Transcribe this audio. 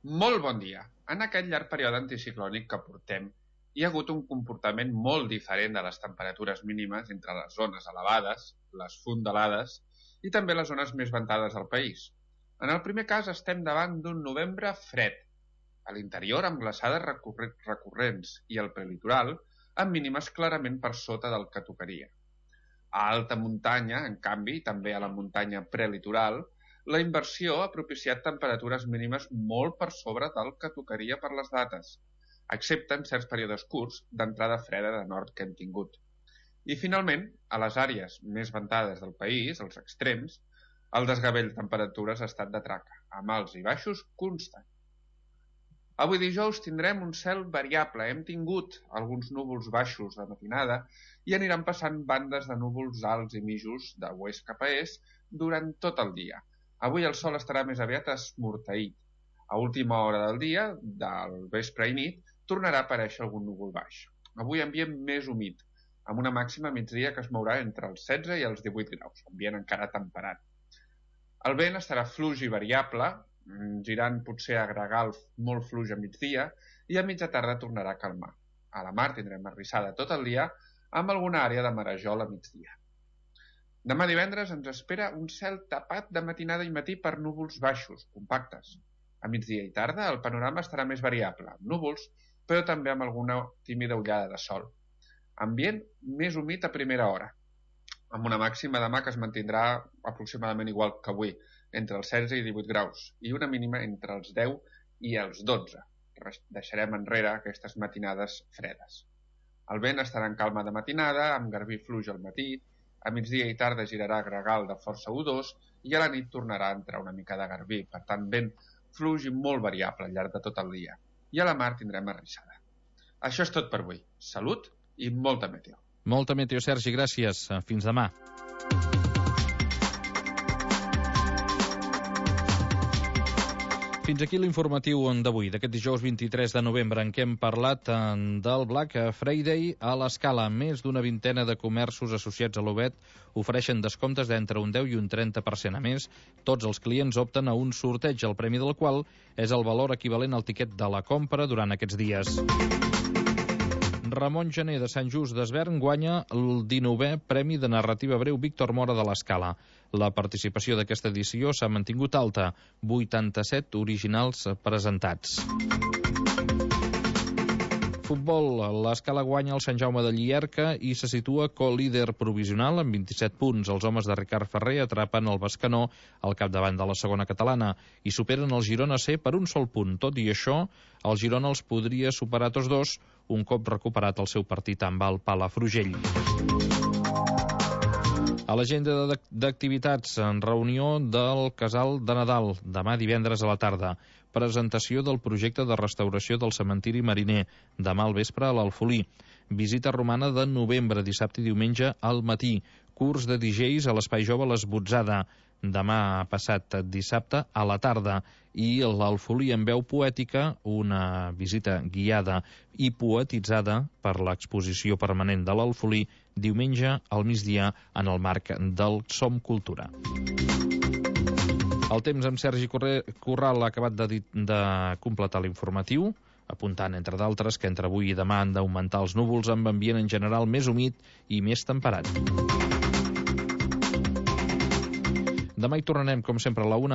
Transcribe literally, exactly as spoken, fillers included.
Molt bon dia. En aquest llarg període anticiclònic que portem, hi ha hagut un comportament molt diferent de les temperatures mínimes entre les zones elevades, les fondalades i també les zones més ventades del país. En el primer cas estem davant d'un novembre fred, a l'interior amb glaçades recurrents i al prelitoral amb mínimes clarament per sota del que tocaria. A alta muntanya, en canvi, també a la muntanya prelitoral, la inversió ha propiciat temperatures mínimes molt per sobre del que tocaria per les dates, excepte en certs períodes curts d'entrada freda de nord que hem tingut. I finalment, a les àrees més ventades del país, als extrems, el desgavell de temperatures ha estat de traca, amb alts i baixos constant. Avui dijous tindrem un cel variable. Hem tingut alguns núvols baixos de matinada i aniran passant bandes de núvols alts i mitjos de oest cap a est durant tot el dia. Avui el sol estarà més aviat esmorteït. A última hora del dia, del vespre i nit, tornarà a aparèixer algun núvol baix. Avui ambient més humit, amb una màxima a migdia que es mourà entre els setze i els divuit graus, ambient encara temperat. El vent estarà fluix i variable, girant potser a gregal molt fluix a migdia i a mitja tarda tornarà a calmar. A la mar tindrem arrissada tot el dia amb alguna àrea de marejol a migdia. Demà divendres ens espera un cel tapat de matinada i matí per núvols baixos, compactes. A migdia i tarda el panorama estarà més variable, amb núvols, però també amb alguna tímida ullada de sol. Ambient més humit a primera hora, amb una màxima demà que es mantindrà aproximadament igual que avui, entre els setze i divuit graus, i una mínima entre els deu i els dotze. Deixarem enrere aquestes matinades fredes. El vent estarà en calma de matinada, amb garbí fluix al matí, a migdia i tarda girarà gregal de força udós i a la nit tornarà a entrar una mica de garbí, per tant vent fluix i molt variable al llarg de tot el dia. I a la mar tindrem arrissada. Això és tot per avui. Salut i molta meteo. Molta meteo, Sergi, gràcies. Fins demà. Fins aquí l'informatiu d'avui, d'aquest dijous vint-i-tres de novembre, en què hem parlat del Black Friday a l'Escala. Més d'una vintena de comerços associats a l'Obet ofereixen descomptes d'entre un deu i un trenta per cent. A més, tots els clients opten a un sorteig, el premi del qual és el valor equivalent al tiquet de la compra durant aquests dies. Ramon Gené, de Sant Just d'Esvern, guanya el dinovè Premi de Narrativa Breu Víctor Mora de l'Escala. La participació d'aquesta edició s'ha mantingut alta, vuitanta-set originals presentats. Futbol, l'Escala guanya el Sant Jaume de Llierca i se situa co-líder provisional amb vint-i-set punts. Els homes de Ricard Ferrer atrapen el Bescanó al capdavant de la segona catalana i superen el Girona C per un sol punt. Tot i això, el Girona els podria superar tots dos un cop recuperat el seu partit amb el Palafrugell. A l'agenda d'activitats, en reunió del Casal de Nadal, demà divendres a la tarda. Presentació del projecte de restauració del cementiri mariner, demà al vespre a l'Alfolí. Visita romana de novembre, dissabte i diumenge al matí. Curs de D Js a l'Espai Jove l'Esbotzada, demà passat dissabte a la tarda. I l'Alfolí en veu poètica, una visita guiada i poetitzada per l'exposició permanent de l'Alfolí, diumenge al migdia en el marc del Som Cultura. El temps amb Sergi Corral ha acabat de, de completar l'informatiu, apuntant, entre d'altres, que entre avui i demà han d'augmentar els núvols amb ambient en general més humit i més temperat. Demà hi tornarem, com sempre, a la una.